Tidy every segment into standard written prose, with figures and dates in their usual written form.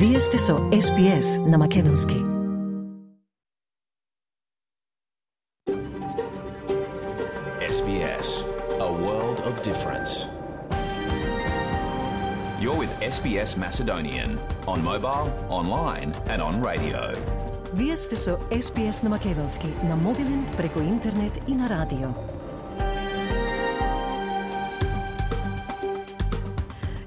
Вие сте со SPS на македонски. SBS, a world of difference. You're with SBS Macedonian on mobile, online and on radio. Вие сте со SPS на македонски на мобилен, преку интернет и на радио.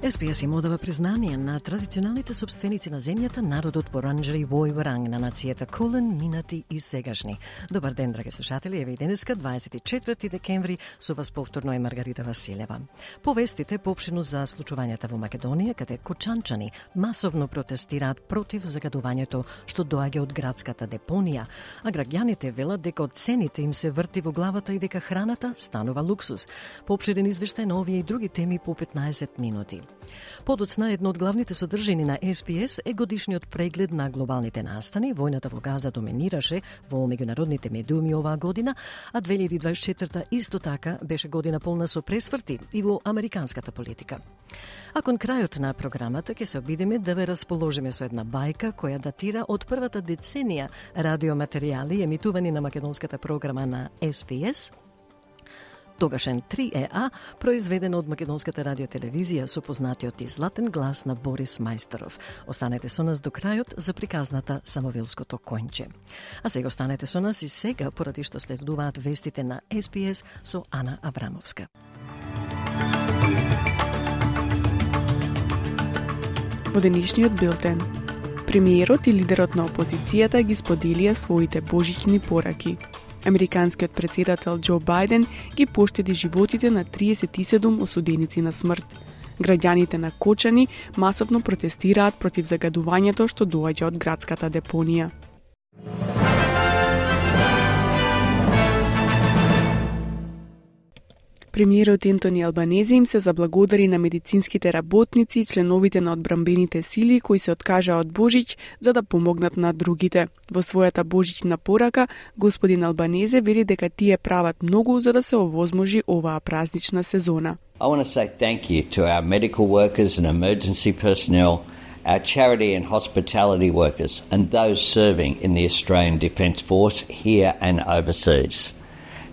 SPS им одава признание на традиционалните собственици на земјата, народот Боранџери Војваранг на нацијата Кулен, минати и сегашни. Добар ден, драги слушатели, еве и денеска, 24 декември, со вас повторно е Маргарита Василева. Повестите поопштено за случувањата во Македонија, каде кочанчани масовно протестираат против загадувањето што доаѓа од градската депонија, а граѓаните велат дека од цените им се врти во главата и дека храната станува луксус. Поопштен извештај на овие и други теми по 15 минути. Подоцна, едно од главните содржини на SPS е годишниот преглед на глобалните настани. Војната во Газа доминираше во меѓународните медиуми оваа година, а 2024 исто така беше година полна со пресврти и во американската политика. А кон крајот на програмата ќе се обидеме да ве расположиме со една бајка која датира од првата деценија радиоматеријали емитувани на македонската програма на SPS, тогашен 3EA, произведен од македонската радиотелевизија со познатиот и златен глас на Борис Мајсторов. Останете со нас до крајот за приказната Самовилското конјче. А сега останете со нас и сега, поради што следуваат вестите на SPS со Ана Аврамовска. Во денешниот билтен, премиерот и лидерот на опозицијата ги споделија своите божични пораки. Американскиот председател Џо Бајден ги поштеди животите на 37 осуденици на смрт. Граѓаните на Кочани масовно протестираат против загадувањето што доаѓа од градската депонија. Премиерот Ентони Албанезе им се заблагодари на медицинските работници и членовите на одбранбените сили кои се откажаа од Божич за да помогнат на другите. Во својата божична порака, господин Албанезе вели дека тие прават многу за да се овозможи оваа празнична сезона. I want to say thank you to our medical workers and emergency personnel, our charity and hospitality workers, and those serving in the Australian Defence Force here and overseas.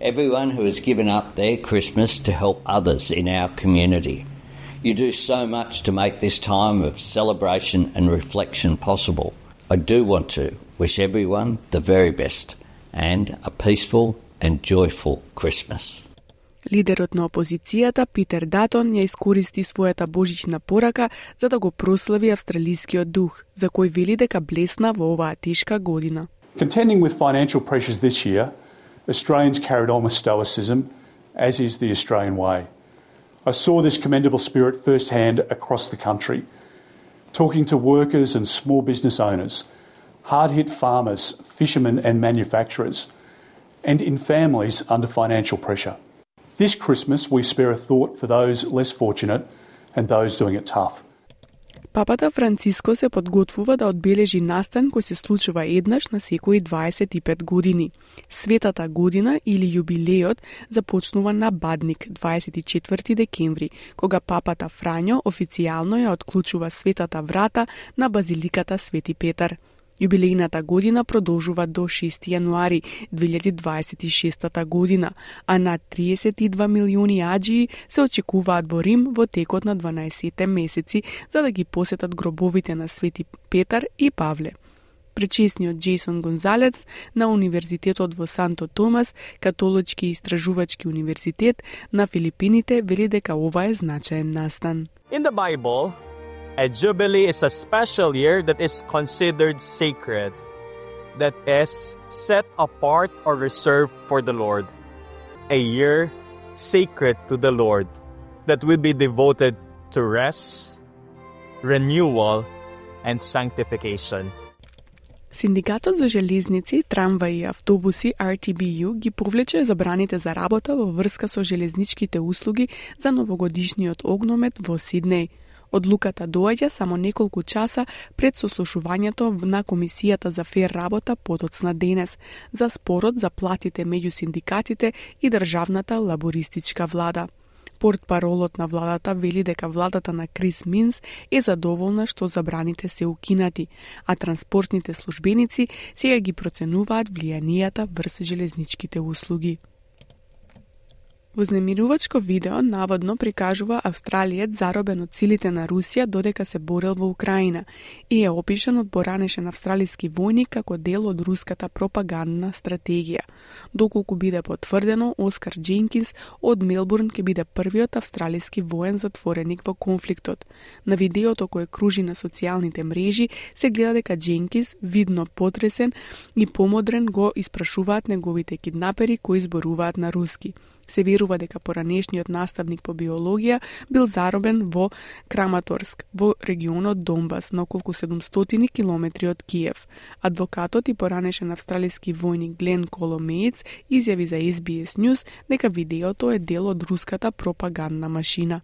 Everyone who has given up their Christmas to help others in our community. You do so much to make this time of celebration and reflection possible. I do want to wish everyone the very best and a peaceful and joyful Christmas. Лидерот на опозицијата Питер Датон ја искористи својата божична порака за да го прослави австралискиот дух, за кој вели дека блесна во оваа тешка година. Contending with financial pressures this year, Australians carried on with stoicism, as is the Australian way. I saw this commendable spirit firsthand across the country, talking to workers and small business owners, hard-hit farmers, fishermen and manufacturers, and in families under financial pressure. This Christmas we spare a thought for those less fortunate and those doing it tough. Папата Франциско се подготвува да одбележи настан кој се случува еднаш на секои 25 години. Светата година или јубилејот започнува на Бадник 24 декември, кога папата Фрањо официјално ја отклучува светата врата на базиликата Свети Петар. Јубилејната година продолжува до 6 јануари 2026 година, а над 32 милиони аџии се очекуваат во Рим во текот на 12 месеци за да ги посетат гробовите на Свети Петар и Павле. Пречесниот Джейсон Гонзалец на Универзитетот во Санто Томас, католички истражувачки универзитет на Филипините, вели дека ова е значаен настан. In the Bible, a jubilee is a special year that is considered sacred, that is set apart or reserved for the Lord. A year sacred to the Lord that will be devoted to rest, renewal, and sanctification. Синдикатот за железници, трамваи и автобуси RTBU ги повлече забраните за работа во врска со железничките услуги за новогодишниот огномет во Сиднеј. Одлуката доаѓа само неколку часа пред сослушувањето на Комисијата за фер работа подоцна денес за спорот за платите меѓу синдикатите и државната лабористичка влада. Портпаролот на владата вели дека владата на Крис Минс е задоволна што забраните се укинати, а транспортните службеници сега ги проценуваат влијанијата врз железничките услуги. Вознемирувачко видео наводно прикажува австралиец заробен од силите на Русија додека се борел во Украина и е опишан од поранешен австралиски војник како дел од руската пропагандна стратегија. Доколку биде потврдено, Оскар Дженкинс од Мелбурн ќе биде првиот австралиски воен затвореник во конфликтот. На видеото кое кружи на социјалните мрежи се гледа дека Дженкинс, видно потресен и помодрен, го испрашуваат неговите киднапери кои зборуваат на руски. Се верува дека поранешниот наставник по биологија бил заробен во Краматорск, во регионот Донбас, на околку 700 километри од Киев. Адвокатот и поранешен австралиски војник Глен Коломеец изјави за SBS News дека видеото е дел од руската пропагандна машина.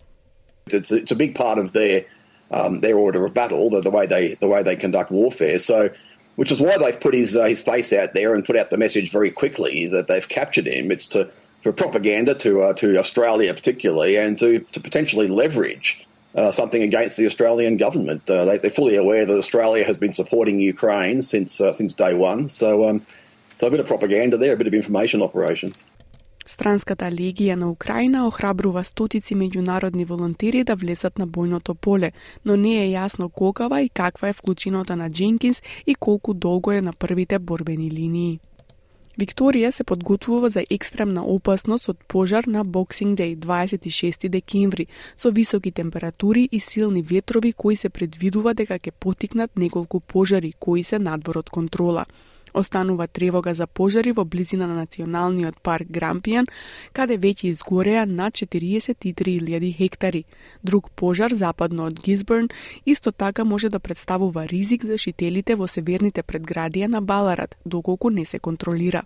It's a big part of their order of battle, the way they conduct warfare. So, which is why they've put his face out there and put out the message very quickly that they've captured him. It's for propaganda to Australia particularly, and to potentially leverage something against the Australian government. They're fully aware that Australia has been supporting Ukraine since day one. So a bit of propaganda there, a bit of information operations. Странската легија на Украина охрабрува стотици меѓународни волонтери да влезат на бојното поле, но не е јасно колкава и каква е вклученота на Дженкинс и колку долго е на првите борбени линии. Викторија се подготвува за екстремна опасност од пожар на Boxing Day, 26 декември, со високи температури и силни ветрови кои се предвидува дека ќе потикнат неколку пожари кои се надвор од контрола. Останува тревога за пожари во близина на националниот парк Грампијан, каде веќе изгореа над 43.000 хектари. Друг пожар западно од Гизберн исто така може да представува ризик за жителите во северните предградија на Баларат, доколку не се контролира.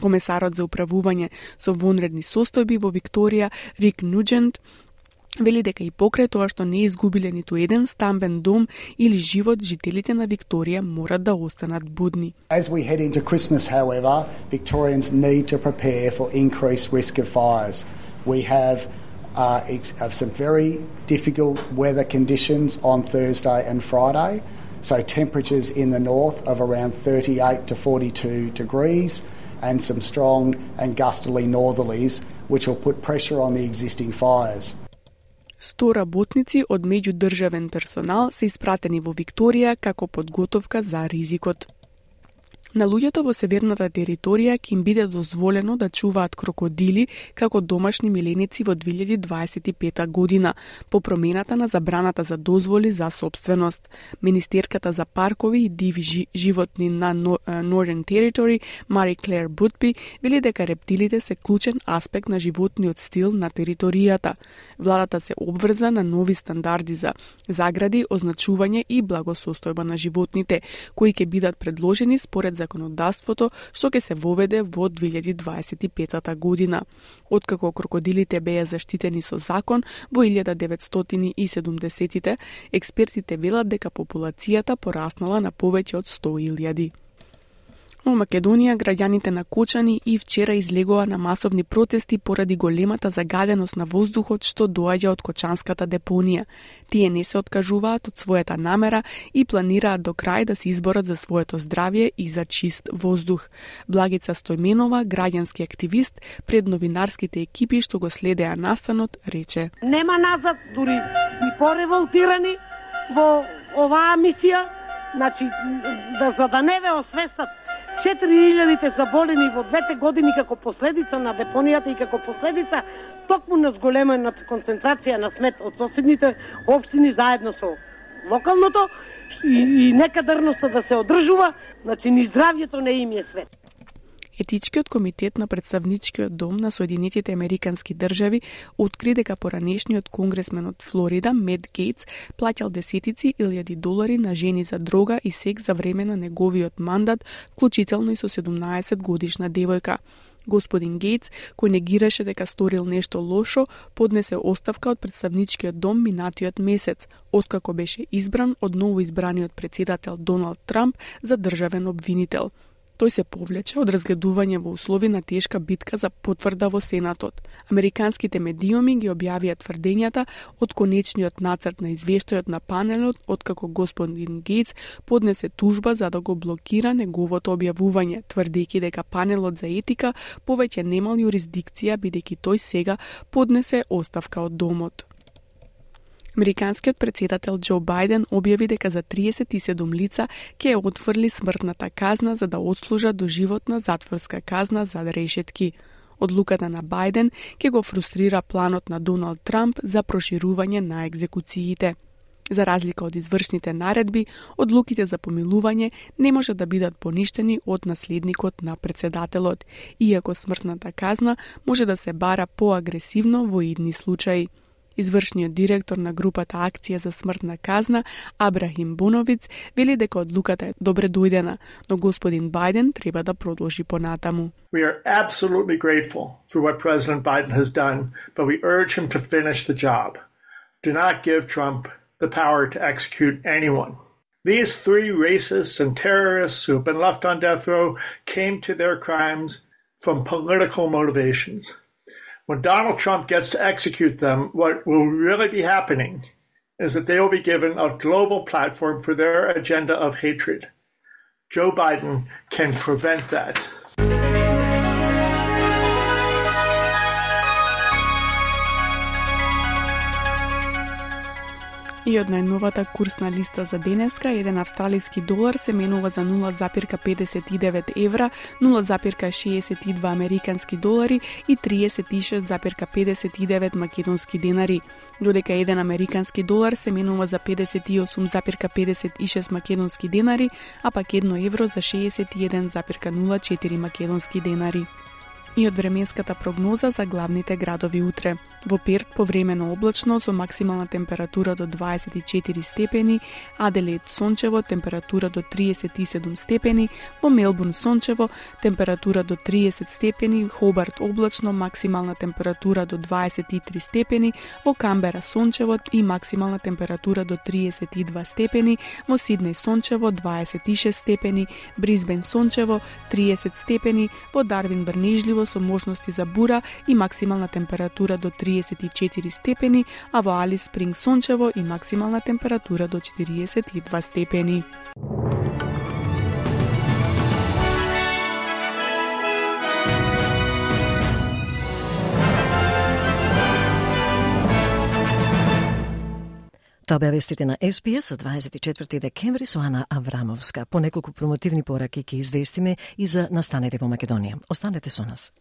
Комесарот за управување со вонредни состојби во Викторија, Рик Нуџент, вели дека и покрај тоа што не изгубиле ниту еден стамбен дом или живот, жителите на Викторија морат да останат будни. As we head into Christmas, however, Victorians need to prepare for increased risk of fires. We have some very difficult weather conditions on Thursday and Friday, so temperatures in the north of around 38 to 42 degrees and some strong and gustily northerlies which will put pressure on the existing fires. 100 работници од меѓудржавен персонал се испратени во Викторија како подготовка за ризикот. На луѓето во северната територија ќе им биде дозволено да чуваат крокодили како домашни миленици во 2025 година, по промената на забраната за дозволи за сопственост. Министерката за паркови и диви животни на Northern Territory, Мари Клер Бутпи, вели дека рептилите се клучен аспект на животниот стил на територијата. Владата се обврза на нови стандарди за загради, означување и благосостојба на животните, кои ќе бидат предложени според законодавството што ќе се воведе во 2025 година. Откако крокодилите беа заштитени со закон во 1970-тите, експертите велат дека популацијата пораснала на повеќе од 100.000. Во Македонија, граѓаните на Кочани и вчера излегоа на масовни протести поради големата загаденост на воздухот што доаѓа од Кочанската депонија. Тие не се откажуваат од својата намера и планираат до крај да се изборат за своето здравје и за чист воздух. Благица Стојменова, граѓански активист, пред новинарските екипи што го следеа настанот, рече: "Нема назад, дури и пореволтирани во оваа мисија, значи за да не ве освестат 4.000 заболени во 2 години како последица на депонијата и како последица токму на зголемената концентрација на смет од соседните општини заедно со локалното и некадарноста да се одржува, значи ни здравјето не им е свет. Етичкиот комитет на Представничкиот дом на Соединетите Американски држави откри дека поранешниот конгресмен од Флорида, Мет Гейтс, плаќал десетици илјади долари на жени за дрога и секс за време на неговиот мандат, вклучително и со 17 годишна девојка. Господин Гейтс, кој негираше дека сторил нешто лошо, поднесе оставка од Представничкиот дом минатиот месец, откако беше избран од новоизбраниот претседател Доналд Трамп за државен обвинител. Тој се повлече од разгледување во услови на тешка битка за потврда во Сенатот. Американските медиуми ги објавија тврдењата од конечниот нацрт на извештајот на панелот, откако господин Гейтс поднесе тужба за да го блокира неговото објавување, тврдејќи дека панелот за етика повеќе немал јурисдикција бидејќи тој сега поднесе оставка од домот. Американскиот претседател Џо Бајден објави дека за 37 лица ќе ја отфрли смртната казна за да отслужат доживотна затворска казна за решетки. Одлуката на Бајден ќе го фрустрира планот на Доналд Трамп за проширување на екзекуциите. За разлика од извршните наредби, одлуките за помилување не може да бидат поништени од наследникот на претседателот, иако смртната казна може да се бара поагресивно во идни случаи. Извршниот директор на групата Акција за смртна казна, Абрахим Боновиц, вели дека одлуката е добре дојдена, но господин Бајден треба да продолжи понатаму. We are absolutely grateful for what President Biden has done, but we urge him to finish the job. Do not give Trump the power to execute anyone. These three racists and terrorists who have been left on death row came to their crimes from political motivations. When Donald Trump gets to execute them, what will really be happening is that they will be given a global platform for their agenda of hatred. Joe Biden can prevent that. И од најновата курсна листа за денеска, еден австралиски долар се менува за 0,59 евра, 0,62 американски долари и 36,59 македонски денари, додека еден американски долар се менува за 58,56 македонски денари, а пак 1 евро за 61,04 македонски денари. И од временската прогноза за главните градови утре. Во Перт повремено облачно со максимална температура до 24 степени, Аделаид сончево, температура до 37 степени, во Мелбурн сончево, температура до 30 степени, Хобарт облачно, максимална температура до 23 степени, во Камбера сончево и максимална температура до 32 степени, во Сиднеј сончево 26 степени, Брисбен сончево 30 степени, во Дарвин брнежливо со можности за бура и максимална температура до 34 степени, а во Алис Спринг сончево и максимална температура до 42 степени. Тоа беа вестите на СБС за 24 декември со Ана Аврамовска. По неколку промотивни пораки ќе известиме и за настанете во Македонија. Останете со нас.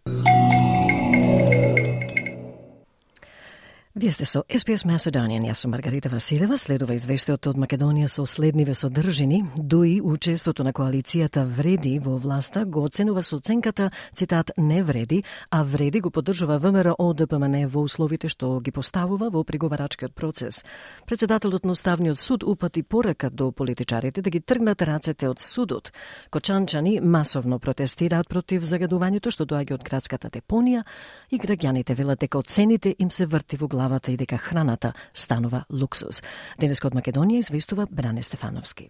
Вие сте со SBS Macedonian, јас сум Маргарита Василева. Следува извештајот од Македонија со следниве содржини. ДУИ, учеството на коалицијата вреди во власта, го оценува со оценката, цитат, не вреди, а вреди го поддржува ВМРО ДПМН во условите што ги поставува во преговарачкиот процес. Председателот на Уставниот суд упати порака до политичарите да ги тргнат рацете од судот. Кочанчани масовно протестираат против загадувањето што доаѓа од градската депонија и граѓаните велат дека цените им се врти во главата и дека храната станува луксус. Денеска од Македонија известува Бране Стефановски.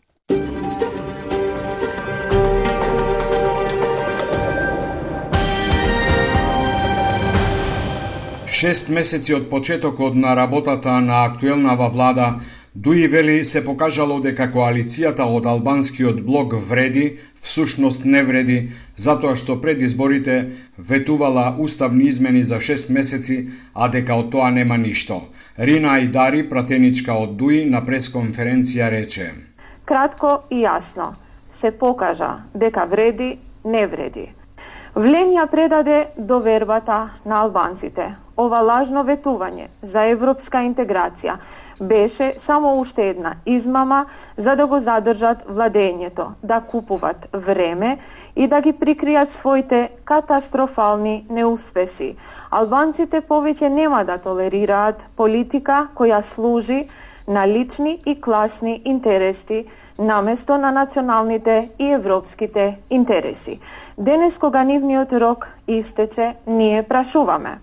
6 месеци од почетокот на работата на актуелнава влада, ДУИ вели се покажало дека коалицијата од албанскиот блок вреди, всушност не вреди, затоа што пред изборите ветувала уставни измени за 6 месеци, а дека од тоа нема ништо. Рина Айдари, пратеничка од ДУИ, на пресконференција рече: Кратко и јасно се покажа дека вреди, не вреди. Вленја предаде довербата на албанците. Ова лажно ветување за европска интеграција беше само уште една измама за да го задржат владењето, да купуват време и да ги прикријат своите катастрофални неуспеси. Албанците повеќе нема да толерираат политика која служи на лични и класни интереси наместо на националните и европските интереси. Денес кога нивниот рок истече, ние прашуваме: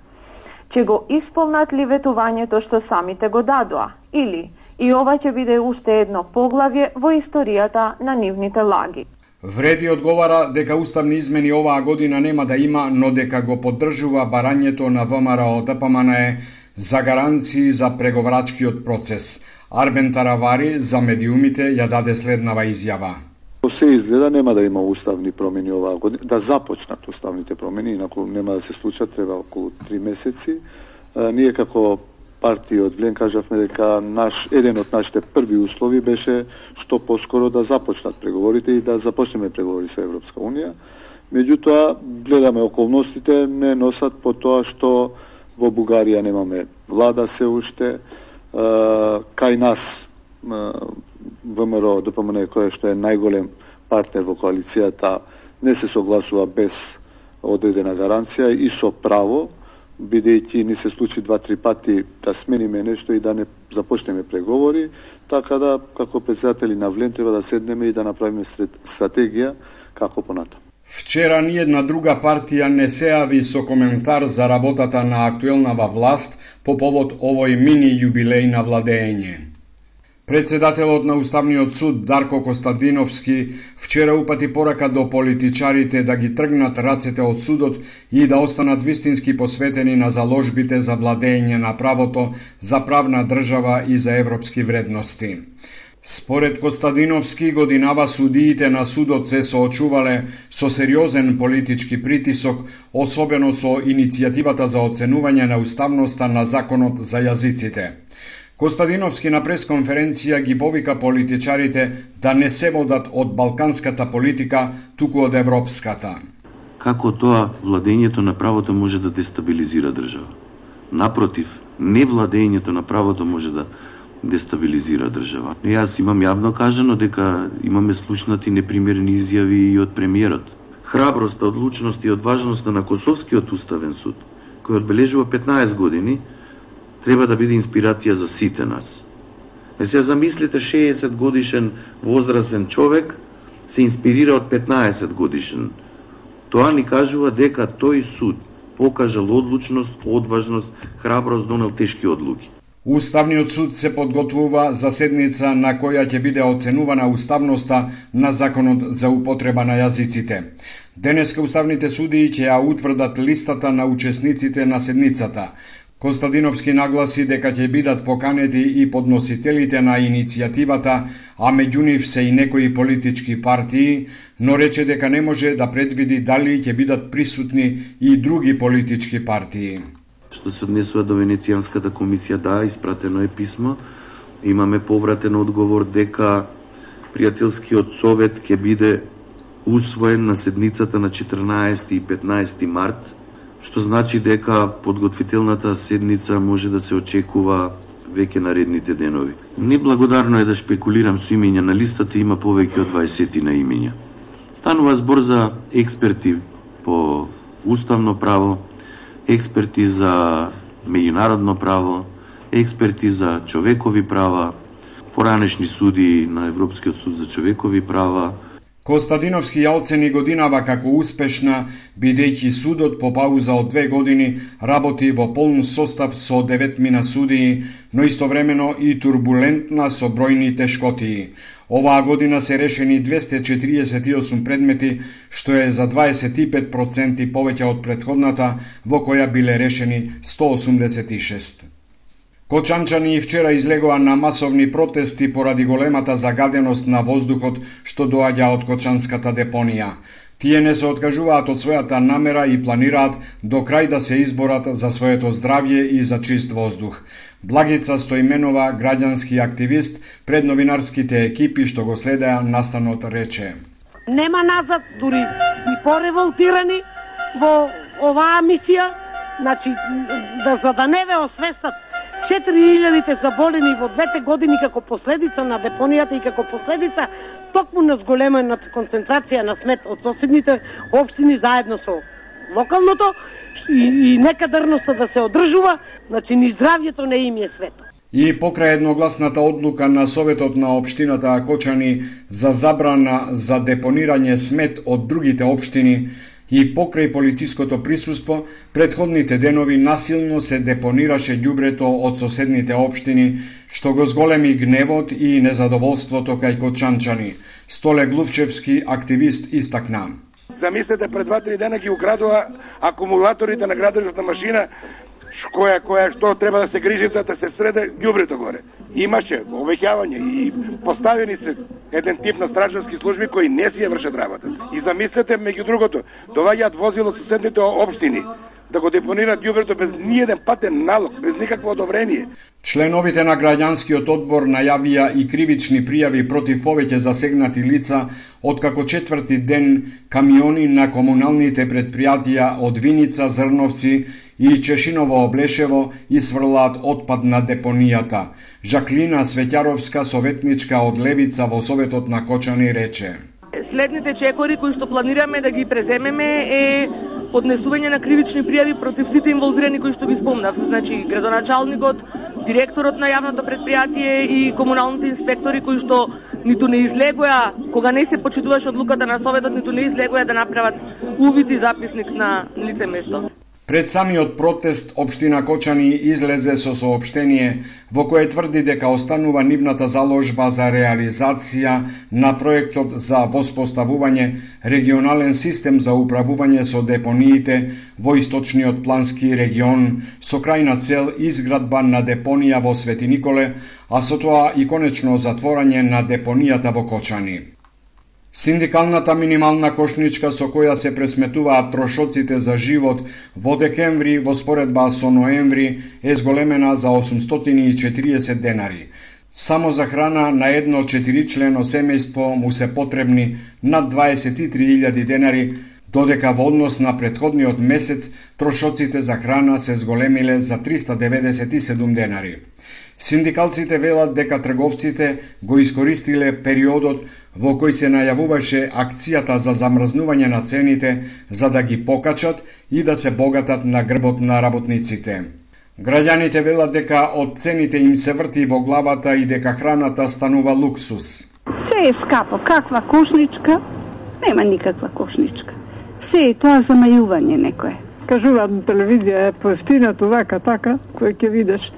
ќе го исполнат ли ветувањето што самите го дадоа, или и ова ќе биде уште едно поглавје во историјата на нивните лаги? Вреди одговара дека уставни измени оваа година нема да има, но дека го поддржува барањето на ВМРО ДПМНЕ за гаранции за преговарачкиот процес. Арбен Таравари за медиумите ја даде следнава изјава. Се изгледа нема да има уставни промени оваа година, да започнат уставните промени, инаку нема да се случат, треба околу 3 месеци. Ние како партија од Влен кажавме дека еден од нашите први услови беше што поскоро да започнат преговорите и да започнеме преговори со Европска Унија. Меѓутоа, гледаме околностите не носат по тоа што во Бугарија немаме влада се уште, кај нас ВМРО ДПМН, кој што е најголем партнер во коалицијата, не се согласува без одредена гаранција и со право, бидејќи ни се случи 2-3 пати да смениме нешто и да не започнеме преговори, така да како председатели на Влен треба да седнеме и да направиме стратегија како понатаму. Вчера ни една друга партија не се јави со коментар за работата на актуелнава власт по повод овој мини јубилеј на владење. Председателот на Уставниот суд Дарко Костадиновски вчера упати порака до политичарите да ги тргнат рацете од судот и да останат вистински посветени на заложбите за владење на правото, за правна држава и за европски вредности. Според Костадиновски, годинава судиите на судот се соочувале со сериозен политички притисок, особено со иницијативата за оценување на уставноста на законот за јазиците. Костадиновски на пресконференција ги повика политичарите да не се водат од балканската политика, туку од европската. Како тоа владењето на правото може да дестабилизира држава? Напротив, невладењето на правото може да дестабилизира држава. Јас имам јавно кажано дека имаме слушнати непримерени изјави и од премиерот. Храброста, одлучност и одважноста на Косовскиот уставен суд, кој одбележува 15 години, треба да биде инспирација за сите нас. Се замислите 60 годишен возрасен човек се инспирира од 15 годишен. Тоа ни кажува дека тој суд покажал одлучност, одважност, храброст, донел тешки одлуки. Уставниот суд се подготвува за седница на која ќе биде оценувана уставноста на законот за употреба на јазиците. Денеска уставните судии ќе ја утврдат листата на учесниците на седницата. Костадиновски нагласи дека ќе бидат поканети и подносителите на иницијативата, а меѓу нив се и некои политички партии, но рече дека не може да предвиди дали ќе бидат присутни и други политички партии. Што се однесува до Венецијанската комисија, да, испратено е писмо. Имаме повратен одговор дека пријателскиот совет ќе биде усвоен на седницата на 14 и 15 март, што значи дека подготвителната седница може да се очекува веќе наредните денови. Неблагодарно е да шпекулирам со имења на листата, има повеќе од 20 на имења. Станува збор за експерти по уставно право, експерти за меѓународно право, експерти за човекови права, поранешни судии на Европскиот суд за човекови права. Костадиновски ја оцени годинава како успешна, бидејќи судот по пауза од 2 години работи во полн состав со 9 судии, но истовремено и турбулентна со бројни тешкотии. Оваа година се решени 248 предмети, што е за 25% повеќе од претходната, во која биле решени 186. Кочанчани вчера излегоа на масовни протести поради големата загаденост на воздухот што доаѓа од Кочанската депонија. Тие не се откажуваат од својата намера и планираат до крај да се изборат за своето здравје и за чист воздух. Благица Стоименова, граѓански активист, пред новинарските екипи што го следеа настанот рече: Нема назад, дури и пореволтирани во оваа мисија, значи за да не ве освестат 4000 заболени во 2 години како последица на депонијата и како последица токму на зголемената концентрација на смет од соседните општини заедно со локалното и некадарноста да се одржува, значи ни здравјето не им е свето. И покрај едногласната одлука на Советот на општината Кочани за забрана за депонирање смет од другите општини и покрај полициското присуство, предходните денови насилно се депонираше ѓубрето од соседните општини, што го зголеми гневот и незадоволството кај кочанчани. Столе Глувчевски, активист, истакна. Замислете, пред 2-3 дена ги украдува акумулаторите на градежната машина, што треба да се грижи за да се среде ѓубрето горе. Имаше обеќавање и поставени се еден тип на стражански служби кои не си ја вршат работата. И замислете, меѓу другото, доаѓаат возила од соседните општини да го депонираат ѓубрето без ниеден патен налог, без никакво одобрение. Членовите на граѓанскиот одбор најавија и кривични пријави против повеќе засегнати лица, откако четврти ден камиони на комуналните предпријатија од Виница, Зрновци и Чешиново Облешево сврлаат отпад на депонијата. Жаклина Светјаровска, советничка од Левица во Советот на Кочани, рече: Следните чекори кои што планираме да ги преземеме е поднесување на кривични пријави против сите инволвирани кои што ги спомнав, значи градоначалникот, директорот на јавното предпријатие и комуналните инспектори кои што ниту не излегоа кога не се почитуваше одлуката на Советот, ниту не излегоа да направат увид и записник на лице место. Пред самиот протест, општина Кочани излезе со соопштение во кое тврди дека останува нивната заложба за реализација на проектот за воспоставување регионален систем за управување со депониите во источниот плански регион, со крајна цел изградба на депонија во Свети Николе, а со тоа и конечно затворање на депонијата во Кочани. Синдикалната минимална кошничка со која се пресметуваат трошоците за живот во декември во споредба со ноември е зголемена за 840 денари. Само за храна на едно 4-члено семејство му се потребни над 23.000 денари, додека во однос на претходниот месец трошоците за храна се зголемиле за 397 денари. Синдикалците велат дека трговците го искористиле периодот во кој се најавуваше акцијата за замрзнување на цените за да ги покачат и да се богатат на грбот на работниците. Граѓаните велат дека од цените им се врти во главата и дека храната станува луксус. Се е скапо, каква кошничка? Нема никаква кошничка. Се е тоа замајување некое. Кажуваат на телевизија е поевтинато вака така, кој ќе видиш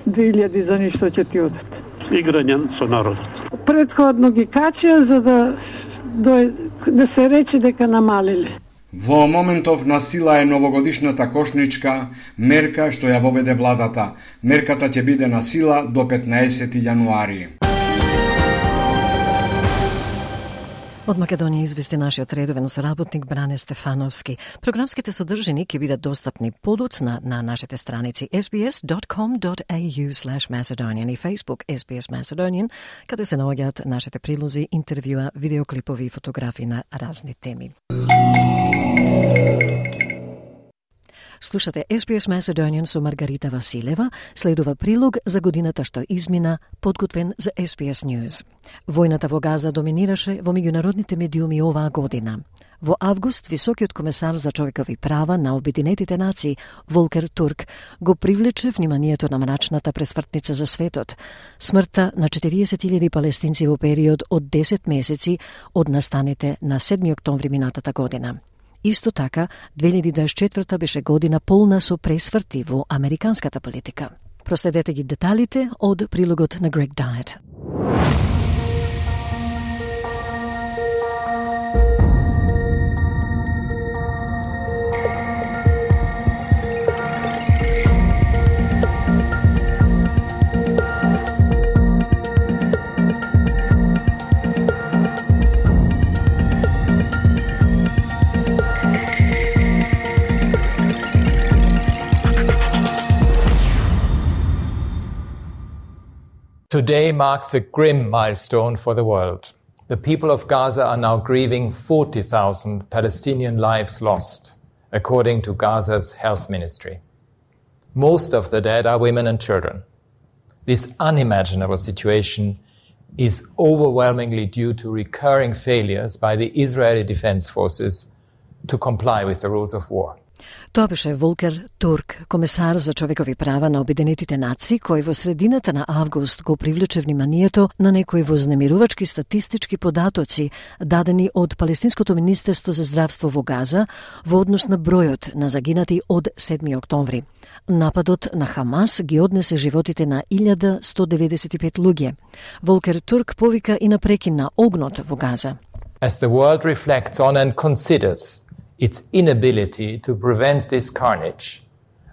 2000 за ништо ќе ти одат. Играње со народот. Предходно ги качија за да се рече дека намалиле. Во моментов на сила е новогодишната кошничка, мерка што ја воведе владата. Мерката ќе биде на сила до 15 јануари. Од Македонија извести нашиот редовен соработник Бране Стефановски. Програмските содржини ќе бидат достапни подоцна на нашите страници sbs.com.au/Macedonian и Facebook SBS Macedonian, каде се наоѓаат нашите прилози, интервјуа, видеоклипови и фотографии на разни теми. Слушате SBS Macedonian со Маргарита Василева, следува прилог за годината што измина, подготвен за SBS News. Војната во Газа доминираше во меѓународните медиуми оваа година. Во август, високиот комесар за човекови права на Обединетите нации, Волкер Турк, го привлече вниманието на мрачната пресмртница за светот. Смртта на 40.000 палестинци во период од 10 месеци од настаните на 7 октомври минатата година. Исто така, 2024 беше година полна со пресврти во американската политика. Проследете ги деталите од прилогот на Грег Дайет. Today marks a grim milestone for the world. The people of Gaza are now grieving 40,000 Palestinian lives lost, according to Gaza's health ministry. Most of the dead are women and children. This unimaginable situation is overwhelmingly due to recurring failures by the Israeli Defense Forces to comply with the rules of war. Тоа беше Волкер Турк, комесар за човекови права на Обединетите нации, кој во средината на август го привлече вниманието на некои вознемирувачки статистички податоци дадени од Палестинското министерство за здравство во Газа во однос на бројот на загинати од 7 октомври. Нападот на Хамас ги однесе животите на 1195 луѓе. Волкер Турк повика и на прекин на огнот во Газа. As the world reflects on and considers its inability to prevent this carnage,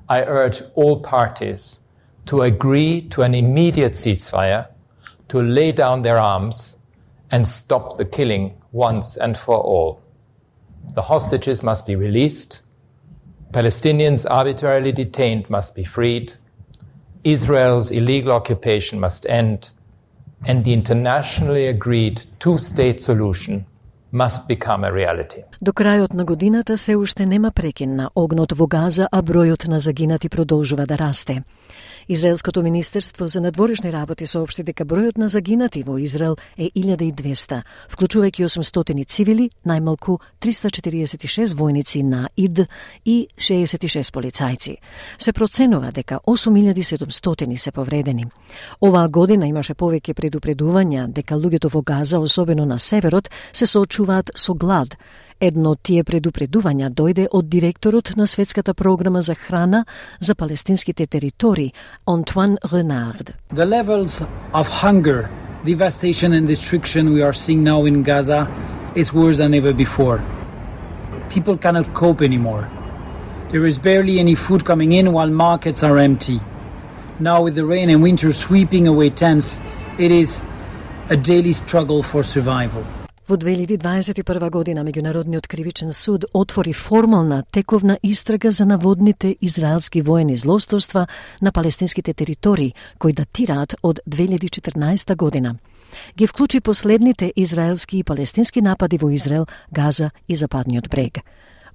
I urge all parties to agree to an immediate ceasefire, to lay down their arms and stop the killing once and for all. The hostages must be released, Palestinians arbitrarily detained must be freed, Israel's illegal occupation must end, and the internationally agreed two-state solution must become a reality. До крајот на годината се уште нема прекин на огнот во Газа, а бројот на загинати продолжува да расте. Израелското министерство за надворешни работи соопшти дека бројот на загинати во Израел е 1200, вклучувајќи 800 цивили, најмалку 346 војници на ИД и 66 полицајци. Се проценува дека 8700 се повредени. Оваа година имаше повеќе предупредувања дека луѓето во Газа, особено на северот, се соочуваат со глад. Едно од тие предупредувања дојде од директорот на Светската програма за храна за палестинските територии, Антуан Ренард. The levels of hunger, devastation and destruction we are seeing now in Gaza is worse than ever before. People cannot cope anymore. There is barely any food coming in while markets are empty. Now with the rain and winter sweeping away tents, it is a daily struggle for survival. Во 2021 година Меѓународниот кривичен суд отвори формална тековна истрага за наводните израелски воени злосторства на палестинските територии, кои датираат од 2014 година. Ги вклучи последните израелски и палестински напади во Израел, Газа и Западниот брег.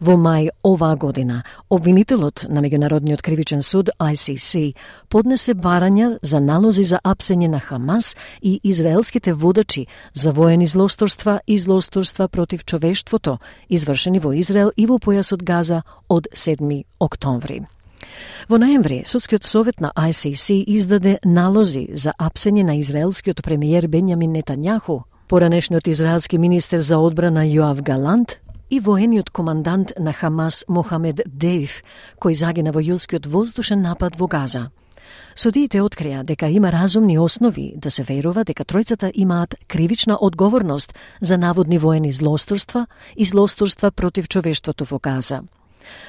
Во мај оваа година, обвинителот на Меѓународниот кривичен суд ICC поднесе барања за налози за апсење на Хамас и израелските водачи за воени злосторства и злосторства против човештвото, извршени во Израел и во појасот Газа од 7 октомври. Во ноември, Судскиот совет на ICC издаде налози за апсење на израелскиот премиер Бенјамин Нетањаху, поранешниот израелски министер за одбрана Јоав Галант и воениот командант на Хамас Мохамед Дејф, кој загина во јулскиот воздушен напад во Газа. Судиите открија дека има разумни основи да се верува дека тројцата имаат кривична одговорност за наводни воени злосторства и злосторства против човештвото во Газа.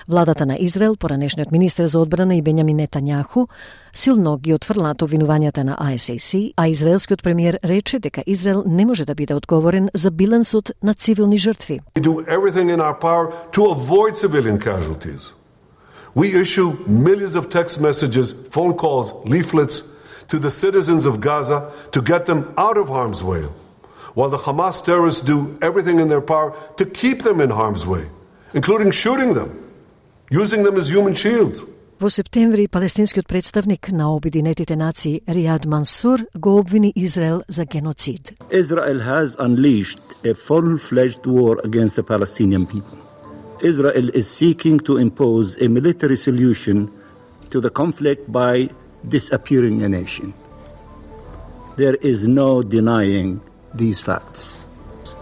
Владата на Израел, поранешниот министер за одбрана и Бенјамин Нетањаху, силно ги отфрлаат обвинувањата на ICC, а израелскиот премиер рече дека Израел не може да биде одговорен за билансот на цивилни жртви. We do everything in our power to avoid civilian casualties. We issue millions of text messages, phone calls, leaflets to the citizens of Gaza to get them out of harm's way, while the Hamas terrorists do everything in their power to keep them in harm's way, including shooting them, using them as human shields. Во септември, палестинскиот представник на Обединетите нации Ријад Мансур го обвини Израел за геноцид. Israel has unleashed a full-fledged war against the Palestinian people. Israel is seeking to impose a military solution to the conflict by disappearing a nation. There is no denying these facts.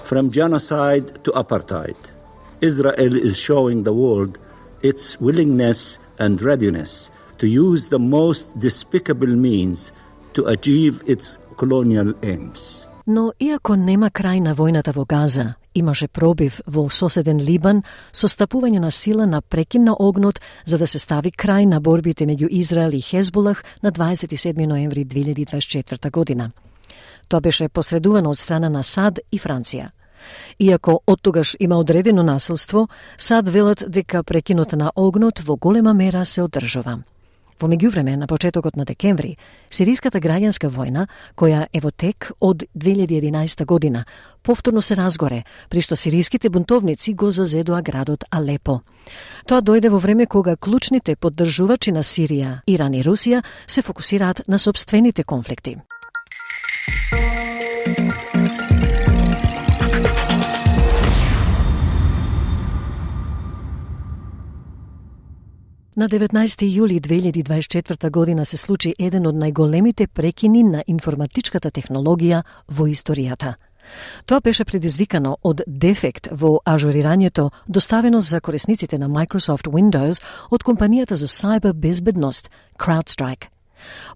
From genocide to apartheid, Israel is showing the world its willingness and readiness to use the most despicable means to achieve its colonial aims. Но иако нема крај на војната во Газа, имаше пробив во соседен Либан со стапување на сила на прекин на огнот за да се стави крај на борбите меѓу Израел и Хезболах на 27 ноември 2024 година. Тоа беше посредувано од страна на САД и Франција. Иако оттогаш има одредено насилство, САД велат дека прекинот на огнот во голема мера се одржува. Во меѓувреме, на почетокот на декември, сириската граѓанска војна, која е во тек од 2011 година, повторно се разгоре, при што сириските бунтовници го зазедоа градот Алепо. Тоа дојде во време кога клучните поддржувачи на Сирија, Иран и Русија се фокусираат на сопствените конфликти. На 19 јули 2024 година се случи еден од најголемите прекини на информатичката технологија во историјата. Тоа беше предизвикано од дефект во ажурирањето доставено за корисниците на Microsoft Windows од компанијата за сайбер безбедност CrowdStrike.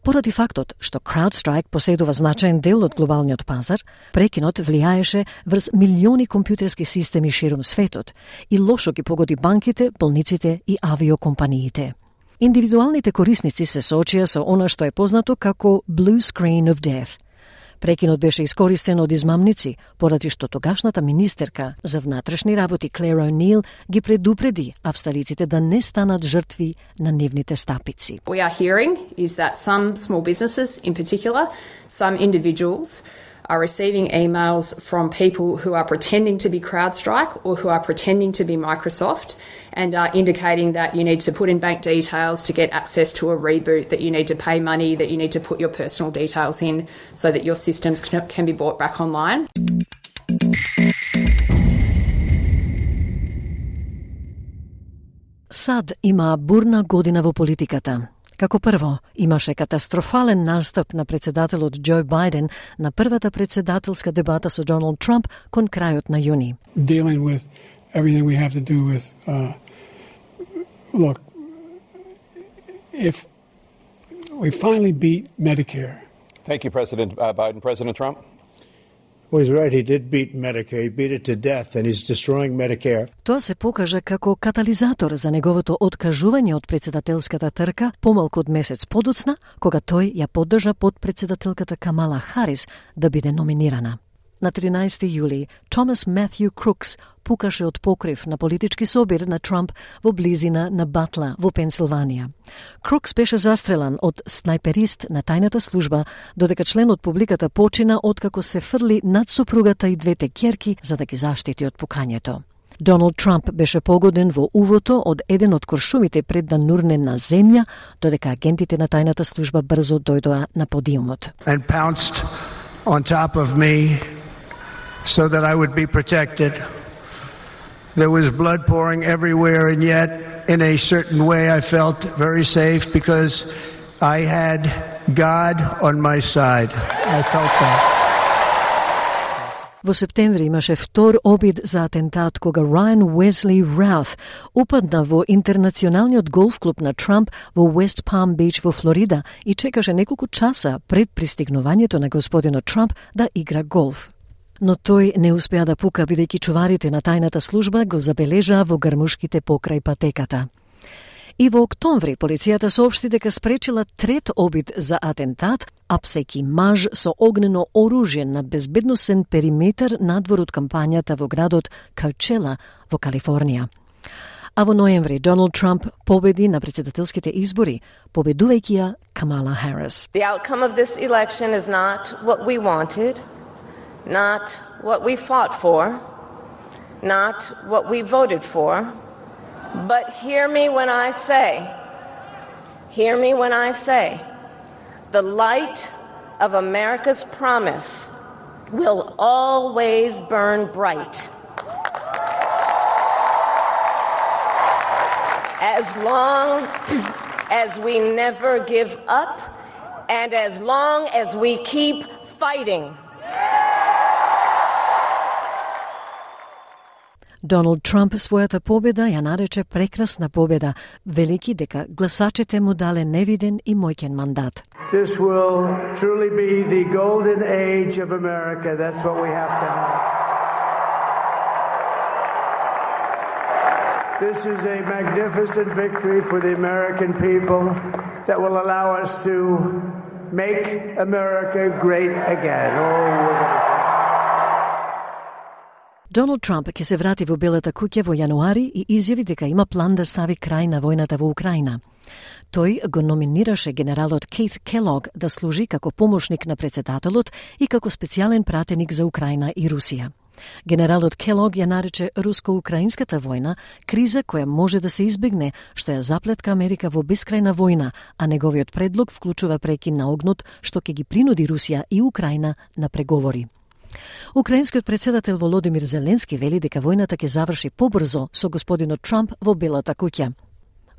Поради фактот што CrowdStrike поседува значаен дел од глобалниот пазар, прекинот влијаеше врз милиони компјутерски системи ширум светот и лошо ги погоди банките, болниците и авиокомпаниите. Индивидуалните корисници се соочија со она што е познато како Blue Screen of Death. Прекинот беше искористен од измамници, поради што тогашната министерка за внатрешни работи Клер О'Нил ги предупреди австралиците да не станат жртви на нивните стапици. We are hearing is that some small businesses, in particular, some individuals are receiving emails from people who are pretending to be CrowdStrike or who are pretending to be Microsoft and are indicating that you need to put in bank details to get access to a reboot, that you need to pay money, that you need to put your personal details in so that your systems can be brought back online. САД има бурна година во политиката. Како прво, имаше катастрофален настап на председателот Џо Бајден на првата председателска дебата со Доналд Трамп кон крајот на јуни. Dealing with everything we have to do with look, if we finally beat Medicare. Thank you, President Biden. President Trump? Well, he's right. He did beat Medicare. He beat it to death, and he's destroying Medicare. Тоа се покажа како катализатор за неговото откажување од председателската трка помалку од месец подоцна, кога тој ја поддржа подпредседателката Камала Харис да биде номинирана. На 13 јули, Томас Матју Крукс пукаше од покрив на политички собир на Трамп во близина на Батла во Пенсилванија. Крукс беше застрелан од снајперист на тајната служба, додека член од публиката почина откако се фрли над супругата и двете ќерки за да ги заштити од пукањето. Доналд Трамп беше погоден во увото од еден од куршумите пред да нурне на земја, додека агентите на тајната служба брзо дојдоа на подиумот. And pounced on top of me so that I would be protected. There was blood pouring everywhere, and yet in a certain way I felt very safe because I had God on my side. I felt that. Во септември имаше втор обид за атентат кога Райан Уесли Раут упадна во интернационалниот голф клуб на Трамп во Уест Палм Бич во Флорида и чекаше неколку часа пред пристигнувањето на господинот Трамп да игра голф. Но тој не успеа да пука бидејќи чуварите на тајната служба го забележаа во грмушките покрај патеката. И во октомври полицијата соопшти дека спречила трет обид за атентат, апсејки маж со огнено оружје на безбедносен периметар надвор од кампањата во градот Коучела во Калифорнија. А во ноември Доналд Трамп победи на председателските избори, победувајќи ја Камала Харис. The outcome of this election is not what we wanted, not what we fought for, not what we voted for, but hear me when I say, the light of America's promise will always burn bright. As long as we never give up and as long as we keep fighting. Доналд Трамп својата победа ја нарече прекрасна победа, велики дека гласачите му дале невиден и мојкен мандат. This will truly be the golden age of America. That's what we have to have. This is a magnificent victory for the American people that will allow us to make America great again. Доналд Трамп ќе се врати во Белата куќа во јануари и изјави дека има план да стави крај на војната во Украина. Тој го номинираше генералот Кейт Келог да служи како помошник на председателот и како специјален пратеник за Украина и Русија. Генералот Келог ја нарече руско-украинската војна криза која може да се избегне, што ја заплетка Америка во бескрајна војна, а неговиот предлог вклучува прекин на огнот што ќе ги принуди Русија и Украина на преговори. Украинскиот председател Володимир Зеленски вели дека војната ќе заврши побрзо со господинот Трамп во Белата куќа.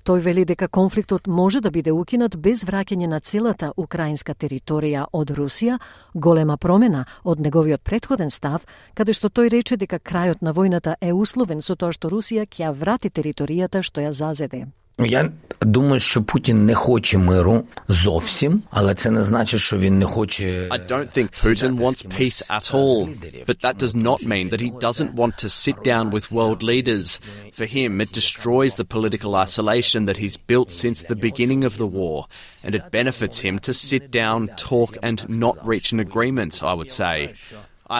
Тој вели дека конфликтот може да биде укинат без враќање на целата украинска територија од Русија, голема промена од неговиот претходен став, каде што тој рече дека крајот на војната е условен со тоа што Русија ќе ја врати територијата што ја зазеде. Я думаю, що Путін не хоче миру зовсім, але це не значить, що він не хоче. I don't think Putin wants peace at all, but that does not mean that he doesn't want to sit down with world leaders. For him, it destroys the political isolation that he's built since the beginning of the war, and it benefits him to sit down, talk, and not reach an agreement, I would say.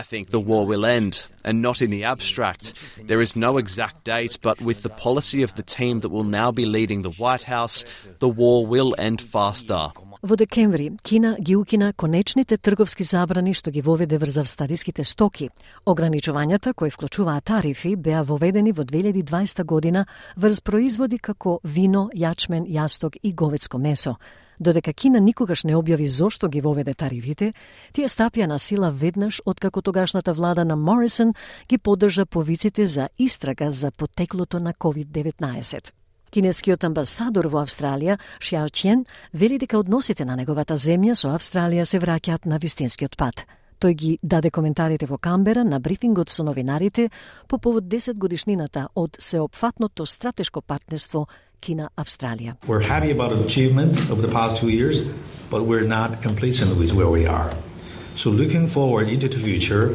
I think the war will end, and not in the abstract. There is no exact date, but with the policy of the team that will now be leading the White House, the war will end faster. Во декември, Кина ги укина конечните трговски забрани што ги воведе врз австралиските стоки. Ограничувањата, кои вклучуваат тарифи, беа воведени во 2020 година врз производи како вино, јачмен, јасток и говедско месо. Додека Кина никогаш не објави зошто ги воведе тарифите, тие стапија на сила веднаш откако тогашната влада на Морисон ги поддржа повиците за истрага за потеклото на COVID-19. Кинескиот амбасадор во Австралија, Xiao Qian, вели дека односите на неговата земја со Австралија се враќаат на вистинскиот пат. Тој ги даде коментарите во Камбера на брифингот со новинарите по повод 10 годишнината од сеопфатното стратешко партнерство Кина-Австралија. We're happy about achievements over the past 2 years, but we're not complacent with where we are. So looking forward into the future,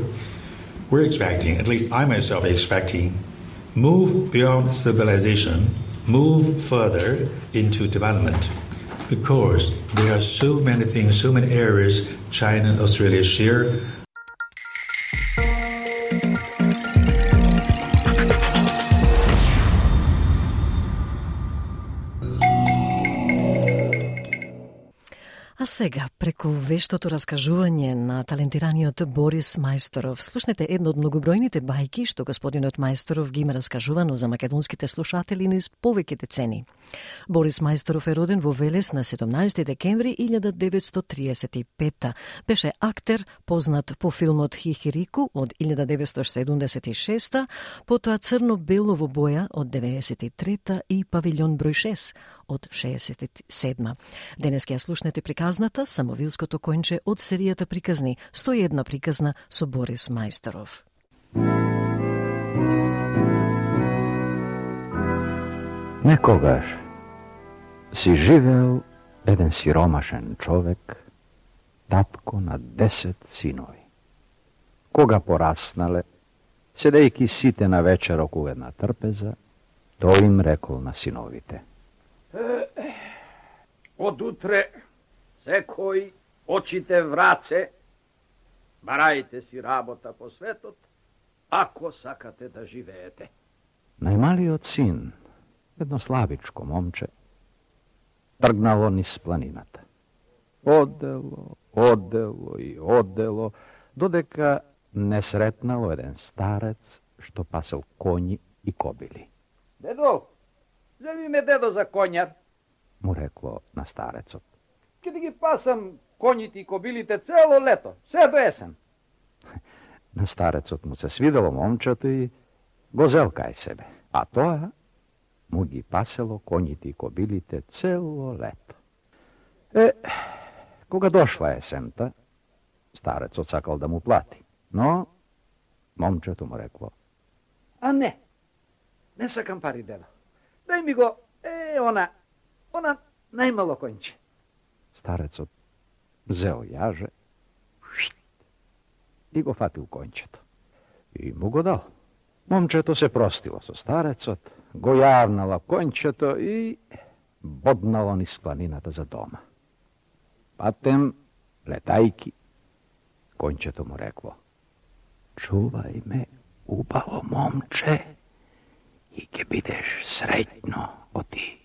we're expecting, at least I myself expecting, move beyond stabilization, move further into development. Because there are so many things, so many areas China and Australia share. А сега, преку вештото раскажување на талентираниот Борис Мајсторов, слушнете едно од многобројните бајки што господинот Мајсторов ги има раскажувано за македонските слушатели низ повеќе децени. Борис Мајсторов е роден во Велес на 17 декември 1935. Беше актер, познат по филмот Хихирику од 1976, потоа Црно-бело во боја од 93 и Павилјон број 6 од 67. Денес ќе ја слушнете приказната Самовилското конче од серијата приказни 101 приказна со Борис Мајсторов. Некогаш си живеел еден сиромашен човек, татко на 10 синови. Кога пораснале, седејќи сите на вечер околу една трпеза, тој им рекол на синовите: Од утре секој очите враце, барајте си работа по светот, ако сакате да живеете. Најмалиот син, едно слабичко момче, тргнало низ планината. Одело и одело, додека не сретнало еден старец што пасел коњи и кобили. Дедо, земи ме дедо за коњар, му рекло на старецот. Ке да ги пасам коњите и кобилите цело лето, се до есен. На старецот му се свидело момчето и го зел кај себе, а тоа му ги пасело коњите и кобилите цело лето. Кога дошла есента, старецот сакал да му плати, но момчето му рекло: А не сакам пари, дедо. Дај ми го, она најмало конче. Старецот зел јаже и го фатил кончето. И му го дал. Момчето се простило со старецот, го јавнало кончето и боднало низ планината за дома. Патем, летајки, кончето му рекло: Чувај ме, убаво момче, и ќе бидеш среќно, оти.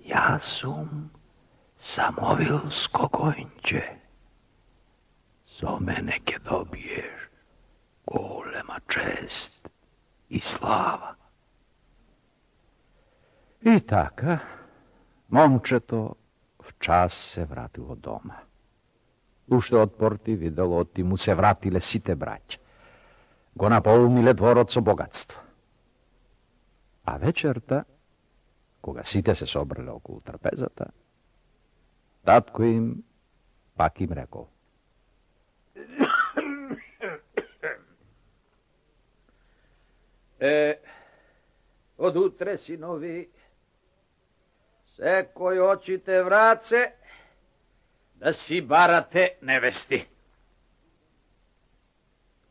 Јас сум Самовилско конче. Со мене ќе добиеш голема чест и слава. И така, момчето в час се вратило дома. Уште од порти видело оти му се вратиле сите браќа. Го наполниле дворот со богатство. А вечерта Кога сите се собрале околу трпезата, татко им пак им рекол: Од утре, синови, секој очите враце да си барате невести.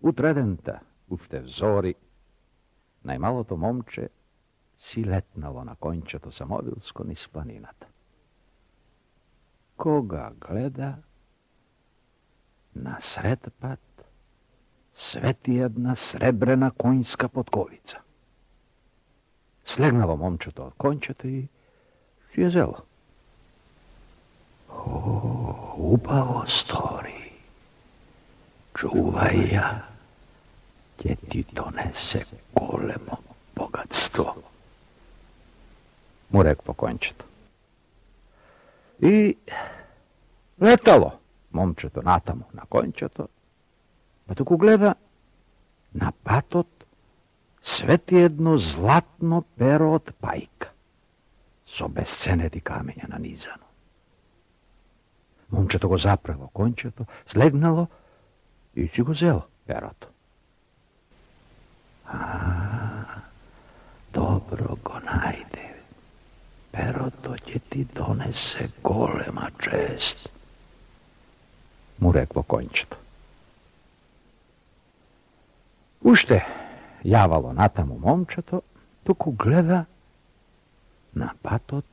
Утредента, уште взори, најмалото момче си летнало на кончето самовилско низ планината. Кога гледа, насред пат свети една сребрена конјска подковица. Слегнало момчето од кончето и си ја зело. О, убаво стори. Чувај ја, ќе ти донесе големо богатство. Му рекло кончето. И летало момчето натаму на кончето, па току гледа, на патот свети едно златно перо од пајка, со бесценети камења нанизано. Момчето го запрело кончето, слегнало и си го зело перото. Добро го најде. Перото ќе ти донесе голема чест, му рекло кончето. Уште јавало натаму момчето, туку гледа, на патот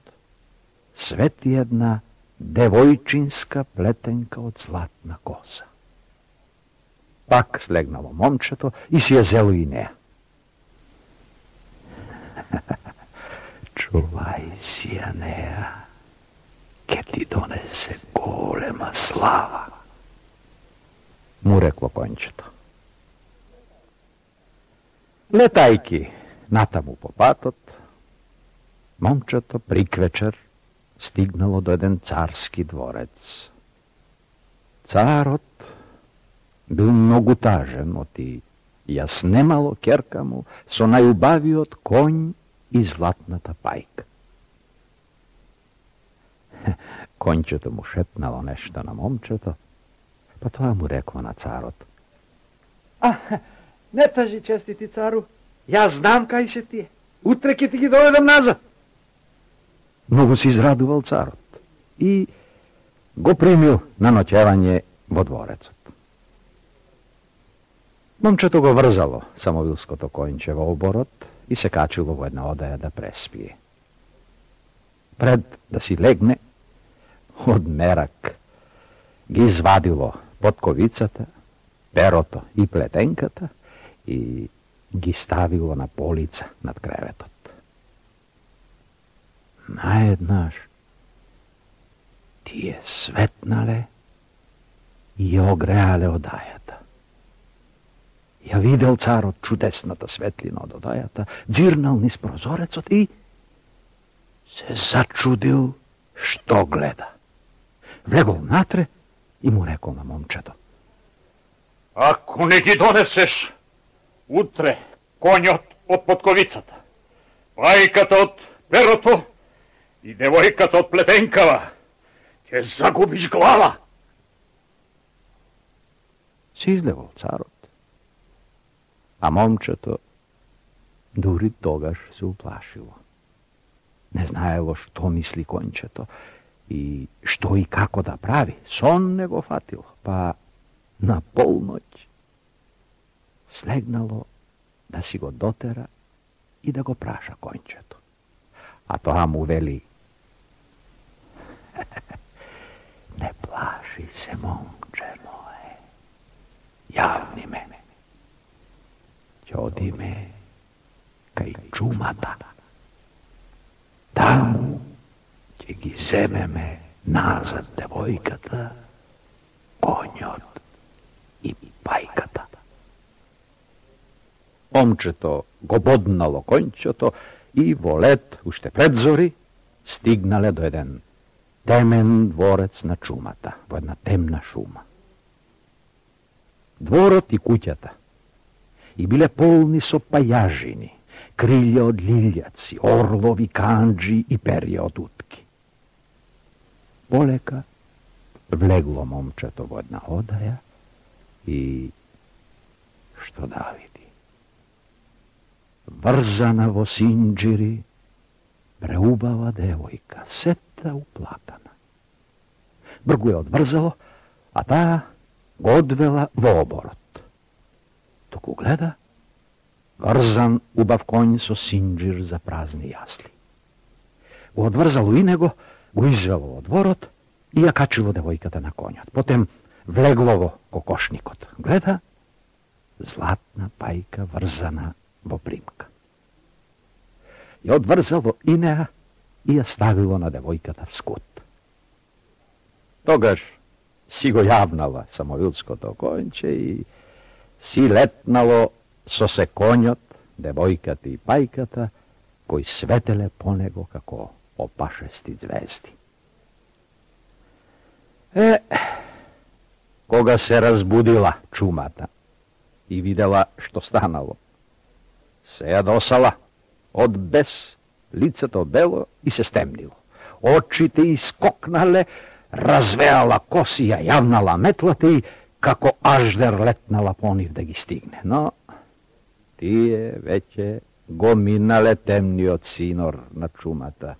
свети една девојчинска плетенка од златна коса. Пак слегнало момчето и си ја зело и неа. Чувај си ја неа, ке ти донесе голема слава, му рекло кончето. Летајки натаму по патот, момчето приквечер стигнало до еден царски дворец. Царот бил многу тажен, оти ја снемало ќерка му со најубавиот конј и златната пајка. Конјчето му шепнало нешто на момчето, па тоа му рекло на царот: Не тажи, честити цару, јас знам кај се тие. Утре ќе ти ги доведам назад. Многу се израдувал царот и го примил на ноќевање во дворецот. Момчето го врзало самовилското конјче во оборот и се качило во една одаја да преспие. Пред да си легне, од мерак ги извадило подковицата, перото и плетенката и ги ставило на полица над креветот. Наеднаш тие светнале и огреале одајата. Ја видел царот чудесната светлина од одајата, дзирнал низ прозорецот и се зачудил што гледа. Влегол натре и му рекол на момчето: Ако не ги донесеш утре конјот од подковицата, пајката од перото и девојката од плетенкава, ќе загубиш глава. Се излевал царот, а момчето дури тогаш се уплашило. Не знаело што мисли конјчето и што и како да прави. Сон не го фатило, па на полноќ слегнало да си го дотера и да го праша конјчето. А тоа му вели: Не плаши се, момче мое, јавни ме. Ќе одиме кај чумата. Таму ќе ги земеме назад девојката, конјот и пајката. Момчето го боднало конјчето и во лет, уште пред зори, стигнале до еден темен дворец на чумата, во една темна шума. Дворот и куќата и биле полни со пајажини, крилја од лилјаци, орлови, канџи и перја од утки. Полека влегло момчето во една одаја и што да види? Врзана во синџири, преубава девојка, сета уплакана. Бргу ја одврзало, а таа го одвела во оборот. Току гледа, врзан убав конј со синџир за празни јасли. Го одврзало и него, го извело во дворот и ја качило девојката на конјот. Потем влегло во кокошникот. Гледа, златна пајка врзана во примка. Ја одврзало и неа и ја ставило на девојката вскут. Тогаш си го јавнала самовилското конјче и си летнало со се конјот, девојката и пајката, кои светеле по него како опашести звезди. Кога се разбудила чумата и видела што станало, се јадосала од бес, лицето бело и се стемнило. Очите искокнале, развеала коси, ја јавнала метлата и како аждер летнала по нив да ги стигне. Но тие веќе го минале темниот синор на чумата.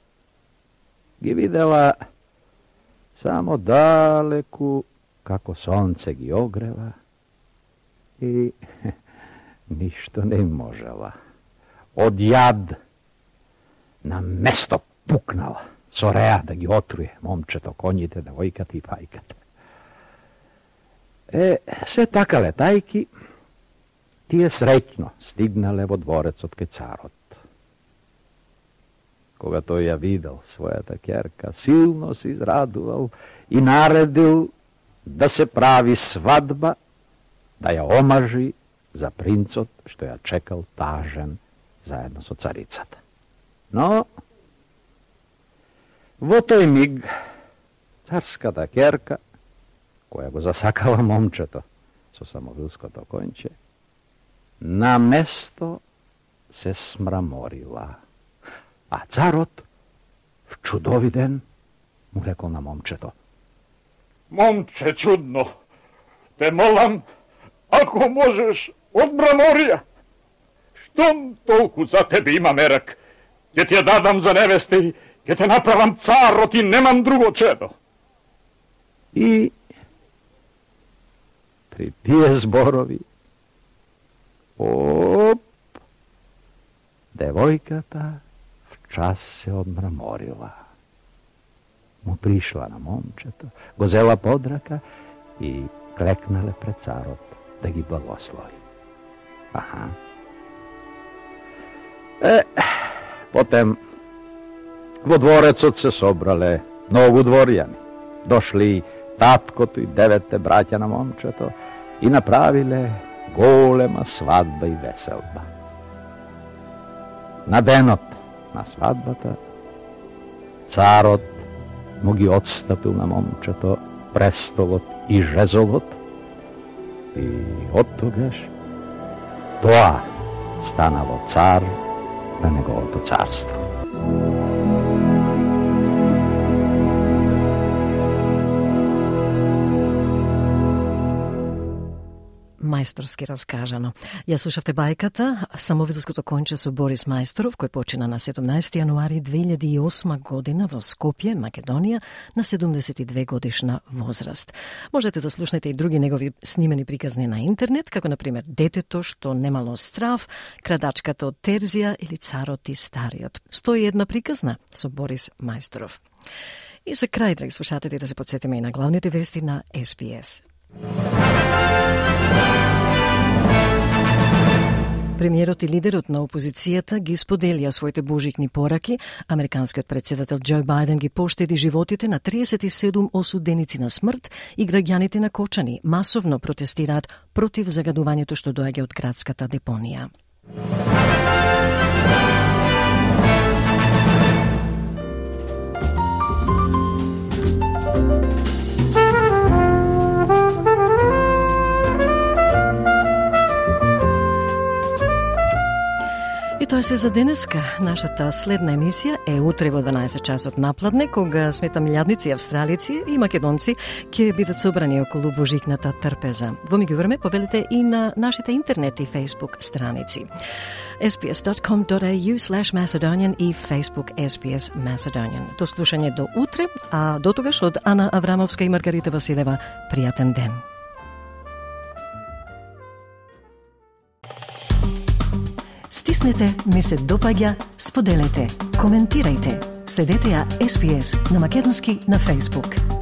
Ги видела само далеку како сонце ги огрева и ништо не можела. Од јад на место пукнала со реа да ги отруе момчето, коњите, девојката и пајката. Се така летајки, тие среќно стигнале во дворецот кај царот. Кога тој ја видел својата ќерка, силно се израдувал и наредил да се прави свадба, да ја омажи за принцот што ја чекал тажен заедно со царицата. Но во тој миг царската ќерка, која го засакала момчето со самовилското конјче, на место се смраморила. А царот, вчудовиден, му рекол на момчето: Момче чудно, те молам, ако можеш, од мраморија. Штом толку за тебе има мерак, ќе ти ја дадам за невеста и ќе те направам царот и немам друго чедо. И при тие зборови, девојката вчас се одмраморила. Му пришла на момчето, го зела под рака и клекнале пред царот да ги благослови. Потем во дворецот се собрале многу дворјани. Дошли таткото и 9 браќа на момчето и направиле голема свадба и веселба. На денот на свадбата царот му ги отстапил на момчето престолот и жезлот и од тогаш тоа станало цар на неговото царство. Мајсторски раскажано. Ја слушавте бајката Самовилското конче со Борис Мајсторов, кој почина на 17 јануари 2008 година во Скопје, Македонија, на 72 годишна возраст. Можете да слушнете и други негови снимени приказни на интернет, како например Детето што немало страв, Крадачката од Терзија или Царот и Стариот. 101 приказна со Борис Мајсторов. И за крај, драги слушатели, да се подсетиме и на главните вести на SBS. Премиерот и лидерот на опозицијата ги споделија своите божикни пораки. Американскиот председател Џо Бајден ги поштеди животите на 37 осуденици на смрт и граѓаните на Кочани масовно протестираат против загадувањето што доаѓа од градската депонија. тоа се за денеска. Нашата следна емисија е утре во 12 часот напладне, кога смета милијадници австралици и македонци ќе бидат собрани околу божикната трпеза. Во меѓувреме повелите и на нашите интернет и Facebook страници. sbs.com.au/Macedonian и Facebook SBS Macedonian. До слушање до утре, а до тогаш од Ана Аврамовска и Маргарита Василева, пријатен ден. Стиснете, ми се допаѓа, споделете, коментирајте. Следете ја SBS на македонски на Facebook.